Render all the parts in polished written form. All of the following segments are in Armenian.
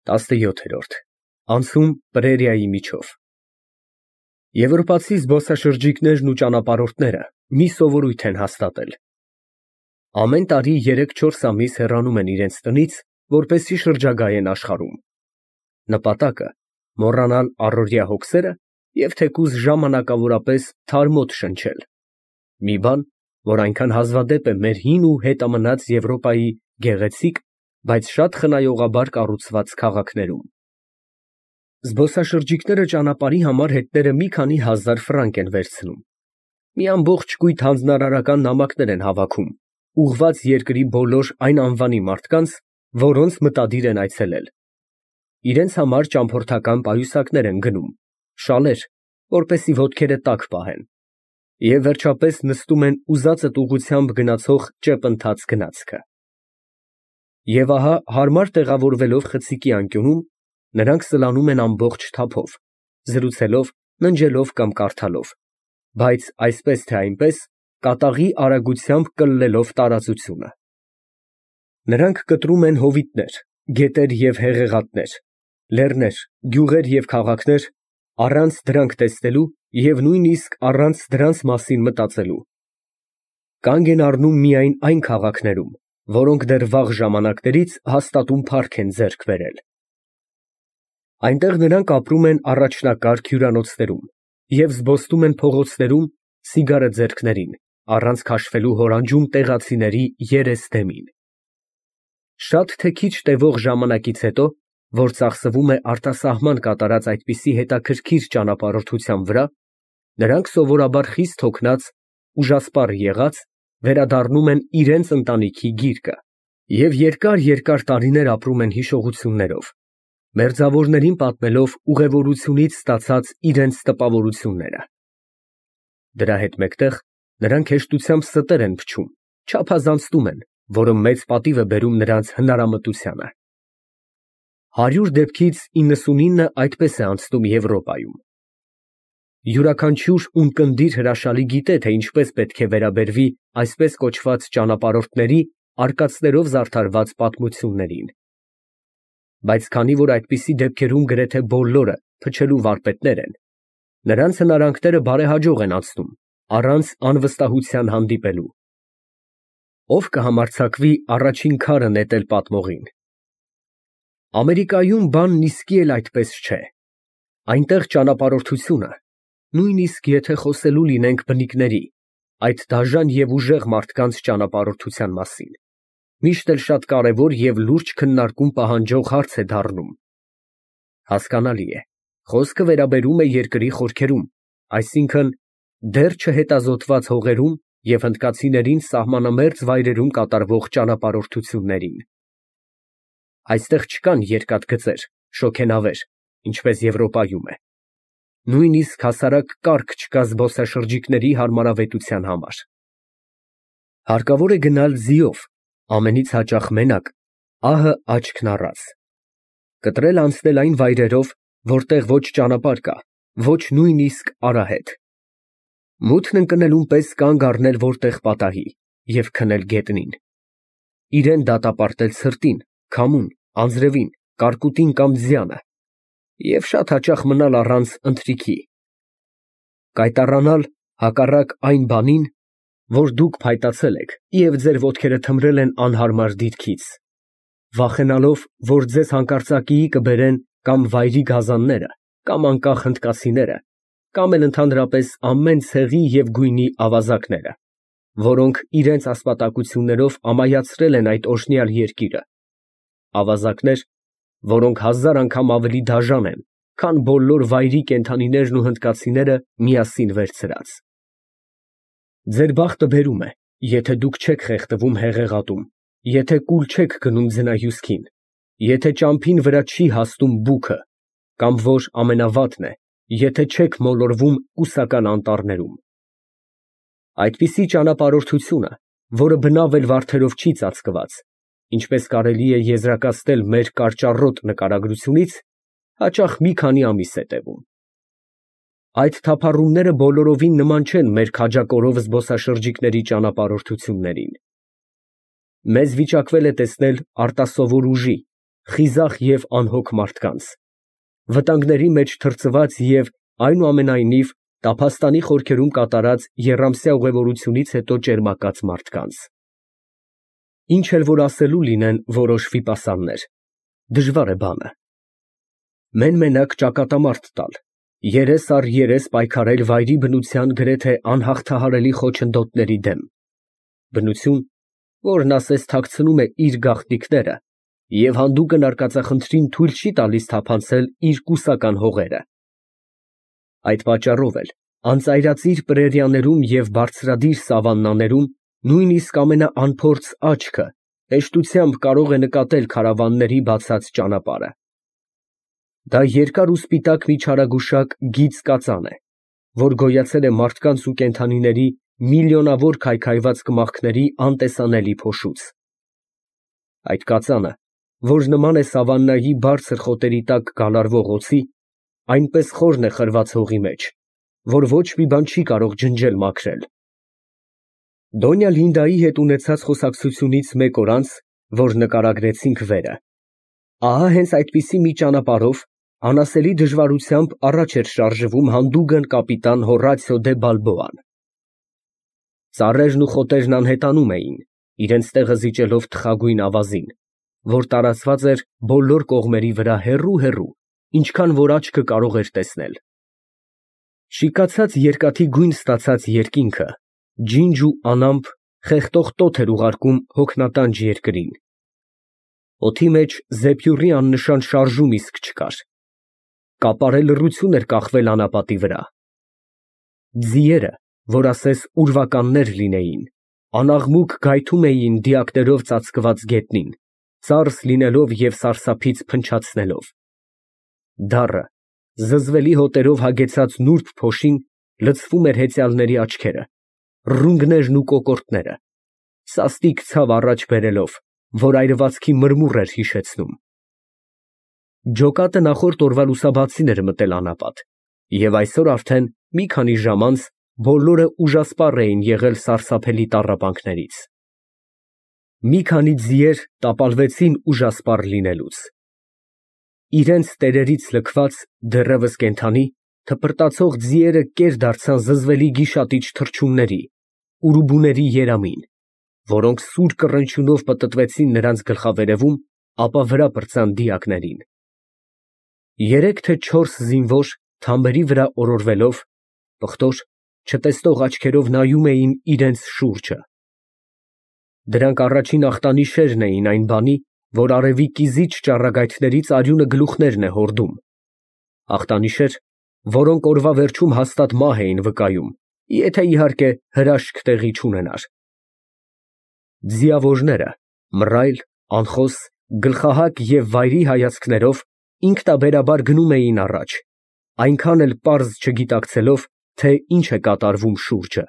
17-րդ Անցում Պրերիայի միջով Եվրոպացի զբոսաշրջիկներն ու ճանապարհորդները մի սովորույթ են հաստատել. ամեն տարի 3-4 ամիս հեռանում են իրենց տնից, որպեսզի շրջագայեն աշխարհում։ Նպատակը՝ մոռանալ առօրյա հոգսերը և թեկուզ ժամանակավորապես թարմոտ շնչել։ Մի բան, որ այնքան հազվադեպ է մեր հին ու հետամնաց Եվրոպայի գեղեցիկ, բայց շատ խնայողաբար կառուցված քաղաքներում։ Զբոսաշրջիկները ճանապարհի համար հետները մի քանի հազար ֆրանկ են վերցնում։ Մի ամբողջ կույտ հանձնարարական նամակներ են հավաքում, ուղղված երկրի բոլոր այն անվանի մարդկանց, որոնց մտադիր են այցելել։ Իրենց համար ճամփորդական պայուսակներ են գնում, շալեր, որպեսզի ոտքերը տաք պահեն, և վերջապես նստում են ուզածդ ուղղությամբ գնացող ճեպընթաց գնացքը։ Եվ ահա հարմար տեղավորվելով խցիկի անկյունում, նրանք սլանում են ամբողջ թափով, զրուցելով, ննջելով կամ կարդալով, բայց այսպես թե այնպես կատաղի արագությամբ կլլելով տարածությունը։ Նրանք կտրում են հովիտներ, գետեր և հեղեղատներ, լեռներ, գյուղեր և քաղաքներ, առանց դրանք տեսնելու և նույնիսկ առանց դրանց մասին մտածելու։ Կանգ են առնում միայն այն քաղաքներում, որոնք դեռ վաղ ժամանակներից հաստատուն փառք են ձեռք բերել։ Այնտեղ նրանք ապրում են առաջնակարգ հյուրանոցներում և զբոսնում են փողոցներում սիգարը ձեռքներին, առանց քաշվելու հորանջում տեղացիների երես դեմին։ Շատ թե քիչ տևող ժամանակից հետո, որ ծախսվում է արտասահման կատարած այդպիսի հետաքրքիր ճանապարհորդության վրա, նրանք սովորաբար խիստ հոգնած, ուժասպառ եղած, վերադառնում են իրենց ընտանիքի գիրկը և երկար տարիներ ապրում են հիշողություններով, մերձավորներին պատմելով ուղևորությունից ստացած իրենց տպավորությունները։ Դրա հետ մեկտեղ նրանք հեշտությամբ ստեր են փչում, չափազանցնում են, որը մեծ պատիվ է բերում նրանց հնարամտությանը։ 100 դեպքից 99-ը այդպես է անցնում Եվրոպայում։ Յուրաքանչյուր ունկնդիր հրաշալի գիտե, թե ինչպես պետք է վերաբերվի այսպես կոչված ճանապարհորդների արկածներով զարդարված պատմություններին։ Բայց քանի որ այդպիսի դեպքերում գրեթե բոլորը փչելու վարպետներ են, նրանց հնարանքները բարեհաջող են անցնում, առանց անվստահության հանդիպելու։ Ո՞վ կհամարձակվի առաջին քարը նետել պատմողին։ Ամերիկայում բանն իսկի էլ այդպես չէ։ Այնտեղ ճանապարհորդությունը, նույնիսկ եթե խոսելու լինենք բնիկների, այդ դաժան և ուժեղ մարդկանց ճանապարհորդության մասին, միշտ էլ շատ կարևոր և լուրջ քննարկում պահանջող հարց է դառնում։ Հասկանալի է, խոսքը վերաբերում է երկրի խորքերում, այսինքն՝ դեռ չհետազոտված հողերում և հնդկացիներին սահմանամերձ վայրերում կատարվող ճանապարհորդություններին։ Այստեղ չկան երկաթգծեր, շոգենավեր, ինչպես Եվրոպայում է։ Նույնիսկ հասարակ կառք չկա զբոսաշրջիկների հարմարավետության համար։ Հարկավոր է գնալ ձիով, ամենից հաճախ մենակ, ահը աչքն առած։ Կտրել անցնել այն վայրերով, որտեղ ոչ ճանապարհ կա, ոչ նույնիսկ արահետ։ Մութն ընկնելուն պես կանգ առնել որտեղ պատահի և քնել գետնին։ Իրան դատապարտել ցրտին, քամուն, անձրևին, կարկուտին կամ ձյանը և շատ հաճախ մնալ առանց ընթրիքի։ Կայտառանալ հակառակ այն բանին, որ դուք փայտացել եք և ձեր ոտքերը թմրել են անհարմար դիրքից, վախենալով, որ ձեզ հանկարծակիի կբերեն կամ վայրի գազանները, կամ անկախ հնդկացիները, կամ էլ ընդհանրապես ամեն ցեղի և գույնի ավազակները, որոնք իրենց ասպատակություններով ամայացրել են այդ օրհնյալ երկիրը, ավազակներ, որոնք 1000 անգամ ավելի դաժան են, քան բոլոր վայրի կենդանիներն ու հնդկացիները միասին վերցրած։ Ձեր բախտը բերում է, եթե դուք չեք խեղդվում հեղեղատում, եթե կուլ չեք գնում ձնահյուսքին, եթե ճամփին վրա չի հասնում բուքը, կամ որ ամենավատն է, եթե չեք մոլորվում կուսական անտառներում։ Այդպիսի ճանապարհորդությունը, որը բնավ էլ վարդերով չի ծածկված, ինչպես կարելի է եզրակացնել մեր կարճառոտ նկարագրությունից, հաճախ մի քանի ամիս է տևում։ Այդ թափառումները բոլորովին նման չեն մեր քաջակորով զբոսաշրջիկների ճանապարհորդություններին։ Մեզ վիճակվել է տեսնել արտասովոր ուժի, խիզախ և անհոգ մարդկանց, վտանգների մեջ թրծված և այնուամենայնիվ տափաստանի խորքերում կատարած եռամսյա ուղևորությունից հետո ճերմակած մարդկանց։ Ինչ էլ որ ասելու լինեն որոշ վիպասաններ, դժվար է բանը։ Մեն֊մենակ ճակատամարտ տալ, երես առ երես պայքարել վայրի բնության գրեթե անհաղթահարելի խոչընդոտների դեմ, բնություն, որն ասես թաքցնում է իր գաղտնիքները և հանդուկն արկածախնդրին թույլ չի տալիս թափանցել իր կուսական հողերը։ Այդ պատճառով էլ անծայրածիր պրերիաներում և բարձրադիր սավաննաներում նույնիսկ ամենաանփորձ աչքը հեշտությամբ կարող է նկատել քարավանների բացած ճանապարհը։ Դա երկար ու սպիտակ մի չարագուշակ գիծ կածան է, որ գոյացել է մարդկանց ու կենդանիների միլիոնավոր քայքայված կմախքների անտեսանելի փոշուց։ Այդ կածանը, որ նման է սավաննայի բարձր խոտերի տակ գալարվող օձի, այնպես խորն է խրված հողի մեջ, որ ոչ մի բան չի կարող ջնջել մաքրել։ Դոնյա Լինդայի հետ ունեցած խոսակցությունից մեկ օր անց, որ նկարագրեցինք վերը, ահա հենց այդպիսի մի ճանապարհով անասելի դժվարությամբ առաջ էր շարժվում հանդուգն կապիտան Հոռացիո դե Բալբոան։ Ծառերն ու խոտերն անհետանում էին, իրենց տեղը զիջելով թխագույն ավազին, որ տարածված էր բոլոր կողմերի վրա հեռու, ինչքան որ աչքը կարող էր տեսնել։ Շիկացած երկաթի գույն ստացած երկինքը ջինջ ու անամպ խեղդող տոթ էր ուղարկում հոգնատանջ երկրին։ Օդի մեջ զեփյուռի աննշան շարժում իսկ չկար։ Կապարե լռություն էր կախվել անապատի վրա։ Ձիերը, որ ասես ուրվականներ լինեին, անաղմուկ գայթում էին դիակներով ծածկված գետնին, ծարս լինելով և սարսափից փնչացնելով։ Դառը, զզվելի հոտերով հագեցած նուրբ փոշին լցվում էր հեծյալների աչքերը, ռունգներն ու կոկորդները, սաստիկ ցավ առաջ բերելով, որ այրվածքի մրմուռ էր հիշեցնում։ Ջոկատը նախորդ օրվա լուսաբացին էր մտել անապատ, և այսօր արդեն մի քանի ժամ անց բոլորը ուժասպառ էին եղել սարսափելի տառապանքներից։ Մի քանի ձիեր տապալվեցին ուժասպառ լինելուց։ Իրենց տերերից լքված, դեռևս կենդանի, թպրտացող ձիերը կեր դարձան զզվելի գիշատիչ թռչունների, ուրուբուների երամին, որոնք սուր կռնչյունով պտտվեցին նրանց գլխավերևում, ապա վրա պրծան դիակներին։ Երեք թե չորս զինվոր թամբերի վրա օրորվելով, պղտոր, չտեսնող աչքերով նայում էին իրենց շուրջը։ Դրանք առաջին ախտանիշերն էին այն բանի, որ արևի կիզիչ ճառագայթներից արյունը գլուխներն է հորդում, ախտանիշեր, որոնք օրվա վերջում հաստատ մահ էին վկայում, եթե իհարկե հրաշք տեղի չունենար։ Ձիավորները մռայլ, անխոս, գլխահակ և վայրի հայացքներով ինքնաբերաբար գնում էին առաջ, այնքան էլ պարզ չգիտակցելով, թե ինչ է կատարվում շուրջը։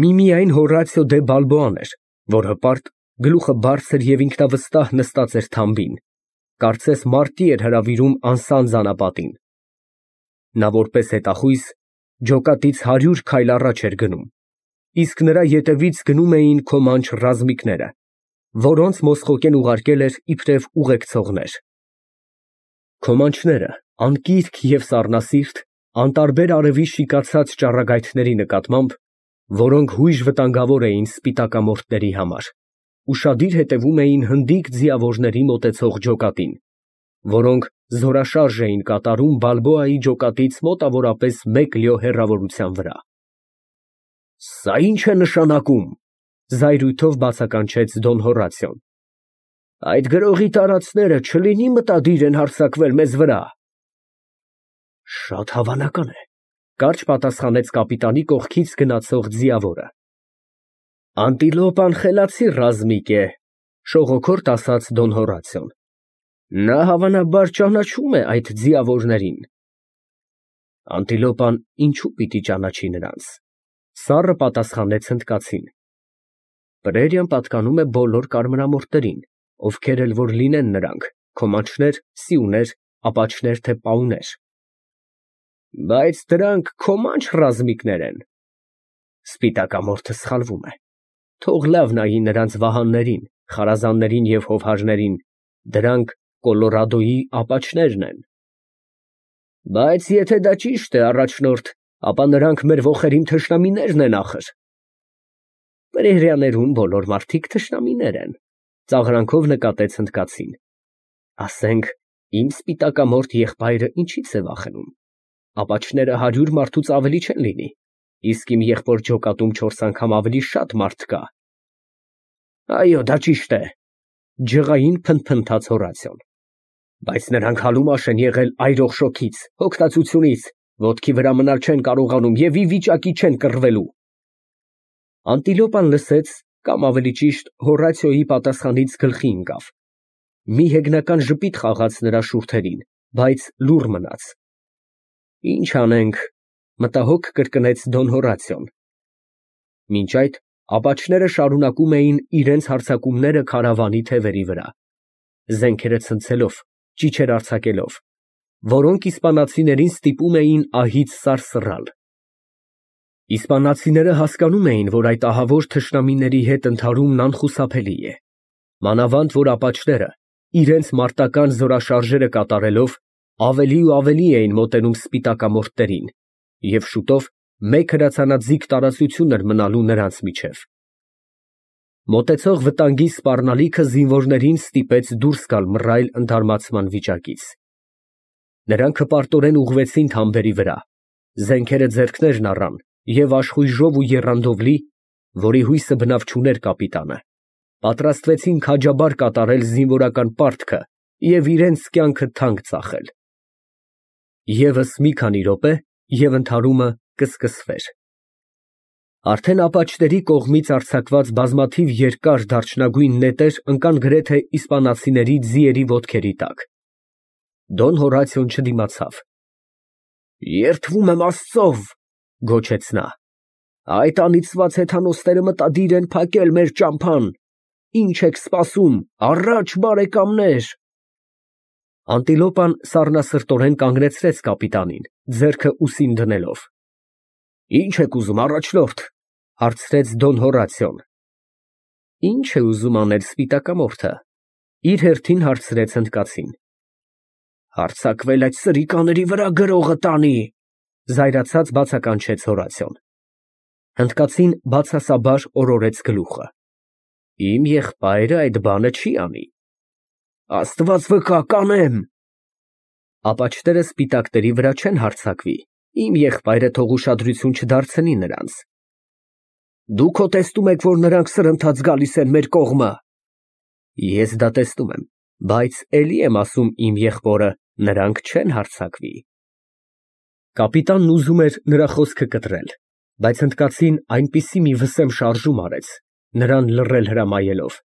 Միմիայն Հոռացիո դե Բալբոան էր, որ հպարտ, գլուխը բարձր և ինքնավստահ նստած էր թամբին, կարծես մարտի էր հրավիրում անսանձ անապատին։ Նա որպես հետախույզ ջոկատից 100 քայլ առաջ էր գնում, իսկ նրա ետևից գնում էին քոմանչ ռազմիկները, որոնց Մոսխոկեն ուղարկել էր իբրև ուղեկցողներ։ Քոմանչները, անկիրք և սառնասիրտ, անտարբեր արևի շիկացած ճառագայթների նկատմամբ, որոնք հույժ վտանգավոր էին սպիտակամորթների համար, ուշադիր հետևում էին հնդիկ ձիավորների մոտեցող ջոկատին, որոնք զորաշարժ էին կատարում Բալբոայի ջոկատից մոտավորապես 1 լյո հեռավորության վրա։ «Սա ի՞նչ է նշանակում», ֊ զայրույթով բացականչեց Դոն Հոռացիոն։ «Այդ գրողի տարածքները չլինի մտադիր են հարձակվել մեզ վրա»։ «Շատ հավանական է», ֊ կարճ պատասխանեց կապիտանի կողքից գնացող ձիավորը։ «Անտիլոպան խելացի ռազմիկ է», ֊ շողոքորթ ասաց Դոն Հոռացիոն։ «Նա հավանաբար ճանաչում է այդ ձիավորներին»։ «Անտիլոպան ինչու պիտի ճանաչի նրանց», ֊ սառը պատասխանեց հնդկացին։ «Պրերիան պատկանում է բոլոր կարմրամորթերին, ովքեր էլ որ լինեն նրանք, քոմանչներ, սիուներ, ապաչներ, թե պաուներ»։ «Բայց դրանք քոմանչ ռազմիկներ են»։ Սպիտակամորթը սխալվում է։ Թող լավ նայի նրանց վահաններին, խարազաններին և հովհարներին, Դրանք Կոլորադոյի ապաչներն են։ Բայց եթե դա ճիշտ է, առաջնորդ, ապա նրանք մեր ոխերիմ թշնամիներն են ախր։ Պրերիաներում բոլոր մարդիկ թշնամիներ են, ծաղրանքով նկատեց հնդկացին։ Ասենք, իմ սպիտակամորթ եղբայրը ինչից է վախենում։ Ապաչները 100 մարդուց ավելի չեն լինի, իսկ իմ եղբոր ջոկատում 4 անգամ ավելի շատ մարդ կա։ Այո, դա ճիշտ է, ջղային փնթփնթաց Հորացիոն։ Բայց նրանք հալումաշ են եղել այրող շոգից, հոգնածությունից, ոտքի վրա մնալ չեն կարողանում և ի վիճակի չեն կռվելու։ Անտիլոպան լսեց, կամ ավելի ճիշտ Հորացիոյի պատասխանից գլխի ընկավ։ Մի հեգնական ժպիտ խաղաց նրա շուրթերին, բայց լուռ մնաց։ Ինչ անենք, մտահոգ կրկնեց Դոն Հորացիոն։ Մինչ այդ ապաչները շարունակում էին իրենց հարձակումները քարավանի թևերի վրա, զենքերը ցնցելով, ճիչեր արձակելով, որոնք իսպանացիներին ստիպում էին ահից սարսռալ։ Իսպանացիները հասկանում էին, որ այդ ահավոր թշնամիների հետ ընդհարումն անխուսափելի է, մանավանդ որ ապաչները իրենց մարտական զորաշարժերը կատարելով ավելի ու ավելի էին մոտենում սպիտակամորթներին, և շուտով մեկ հրացանաձիգ տարածություն էր մնալու նրանց միջև։ Մոտեցող վտանգի սպառնալիքը զինվորներին ստիպեց դուրս գալ մռայլ ընդհարմացման վիճակից։ Նրանք հպարտորեն ուղղվեցին թամբերի վրա, զենքերը ձեռքներն առան և աշխույժով ու եռանդով լի, որի հույսը բնավ չուներ կապիտանը, պատրաստվեցին քաջաբար կատարել զինվորական պարտքը և իրենց կյանքը թանկ ծախել։ Եվս մի քանի րոպե, և ընդհարումը կսկսվեր։ Արդեն ապաչների կողմից արձակված բազմաթիվ երկար դարչնագույն նետեր ընկան գրեթե իսպանացիների ձիերի ոտքերի տակ։ Դոն Հորացիոն չդիմացավ։ Երդվում եմ Աստծով, գոչեց նա, այդ անիծված հեթանոսները մտադիր են փակել մեր ճամփան։ Ինչ եք սպասում, առաջ բարեկամներ։ Անտիլոպան սառնասրտորեն կանգնեցրեց կապիտանին, ձեռքը ուսին դնելով։ Ինչ եք ուզում, առաջնորդ, հարցրեց Դոն Հորացիոն։ Ինչ է ուզում անել սպիտակամորթը, իր հերթին հարցրեց հնդկացին։ Հարձակվել այդ սրիկաների վրա գրողը տանի, զայրացած բացականչեց Հորացիոն։ Հնդկացին բացասաբար օրորեց գլուխը։ Իմ եղբայրը այդ բանը չի անի։ Աստված վկա, կանեմ։ Ապաչները սպիտակների վրա չեն հարձակվի, իմ եղբայրը թող ուշադրություն չդարձնի նրանց։ Դուք հո տեսնում եք, որ նրանք սրընթաց գալիս են մեր կողմը։ Ես դա տեսնում եմ, բայց էլի եմ ասում իմ եղբորը, նրանք չեն հարձակվի։ Կապիտանն ուզում էր նրա խոսքը կտրել, բայց հնդկացին այնպիսի մի վսեմ շարժում արեց, նրան լռել հրամայելով,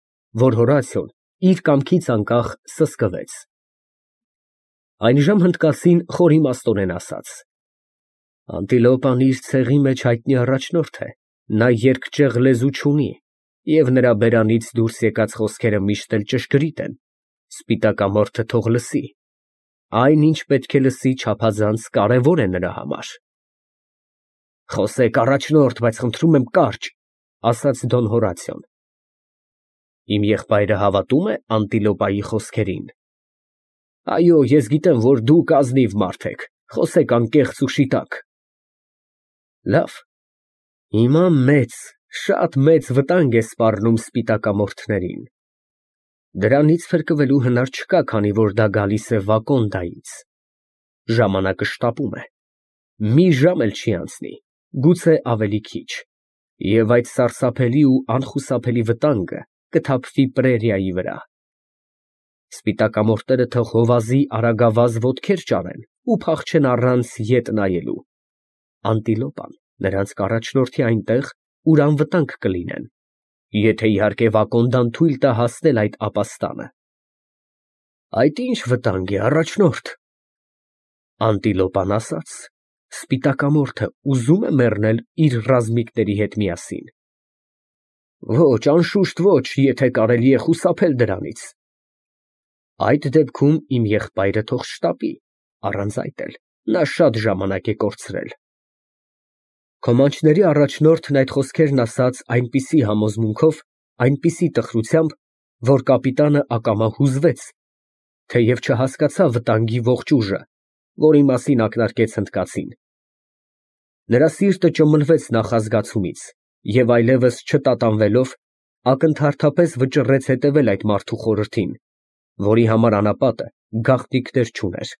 որ Հորացիոն իր կամքից անկախ սսկվեց։ Այնժամ հնդկացին խորիմաստորեն ասաց. Անտիլոպան իր ցեղի մեջ հայտնի առաջնորդ է, նա երկճյուղ լեզու չունի, և նրա բերանից դուրս եկած խոսքերը միշտ էլ ճշգրիտ են, սպիտակամորթը թող լսի, այն ինչ պետք է լսի չափազանց կարևոր է նրա համար։ Խոսեք առաջնորդ, բայց խնդրում եմ կարճ, ասաց Դոն Հորացիոն։ Իմ եղբայրը հավատում է Անտիլոպայի խոսքերին։ Այո, ես գիտեմ, որ դուք ազնիվ մարդ եք, խոսեք անկեղծ ու շիտակ։ Լավ, հիմա շատ մեծ վտանգ է սպառնում սպիտակամորթներին։ Դրանից փրկվելու հնար չկա, քանի որ դա գալիս է Վակոնդայից։ Ժամանակը շտապում է։ Մի ժամ էլ չի անցնի, գուցե ավելի քիչ, և այդ սարսափելի ու անխուսափելի վտանգը կթափվի Պրերիայի վրա։ Սպիտակամորթները թող հովազի արագավազ ոտքեր ճարեն ու փախչեն առանց ետ նայելու։ Անտիլոպան նրանց կառաջնորդի այնտեղ, ուր անվտանգ կլինեն, եթե իհարկե Վակոնդան թույլ տա հասնել այդ ապաստանը։ Այդ ինչ վտանգ է, առաջնորդ։ Անտիլոպան ասաց, սպիտակամորթը ուզում է մեռնել իր ռազմիկների հետ միասին։ Ոչ, անշուշտ ոչ, եթե կարելի է խուսափել դրանից։ Այդ դեպքում իմ եղբայրը թող շտապի, առանց այդ էլ նա շատ ժամանակ է կորցրել։ Քոմանչների առաջնորդն այդ խոսքերն ասաց այնպիսի համոզմունքով, այնպիսի տխրությամբ, որ կապիտանը ակամա հուզվեց թեև չհասկացավ վտանգի ողջ ուժը, որի մասին ակնարկեց հնդկացին։ Նրա սիրտը ճմլվեց նախազգացումից և այլևս չտատանվելով, ակնթարթապես վճռեց հետևել այդ մարդու խորհրդին, որի համար անապատը գաղտնիքներ չուներ։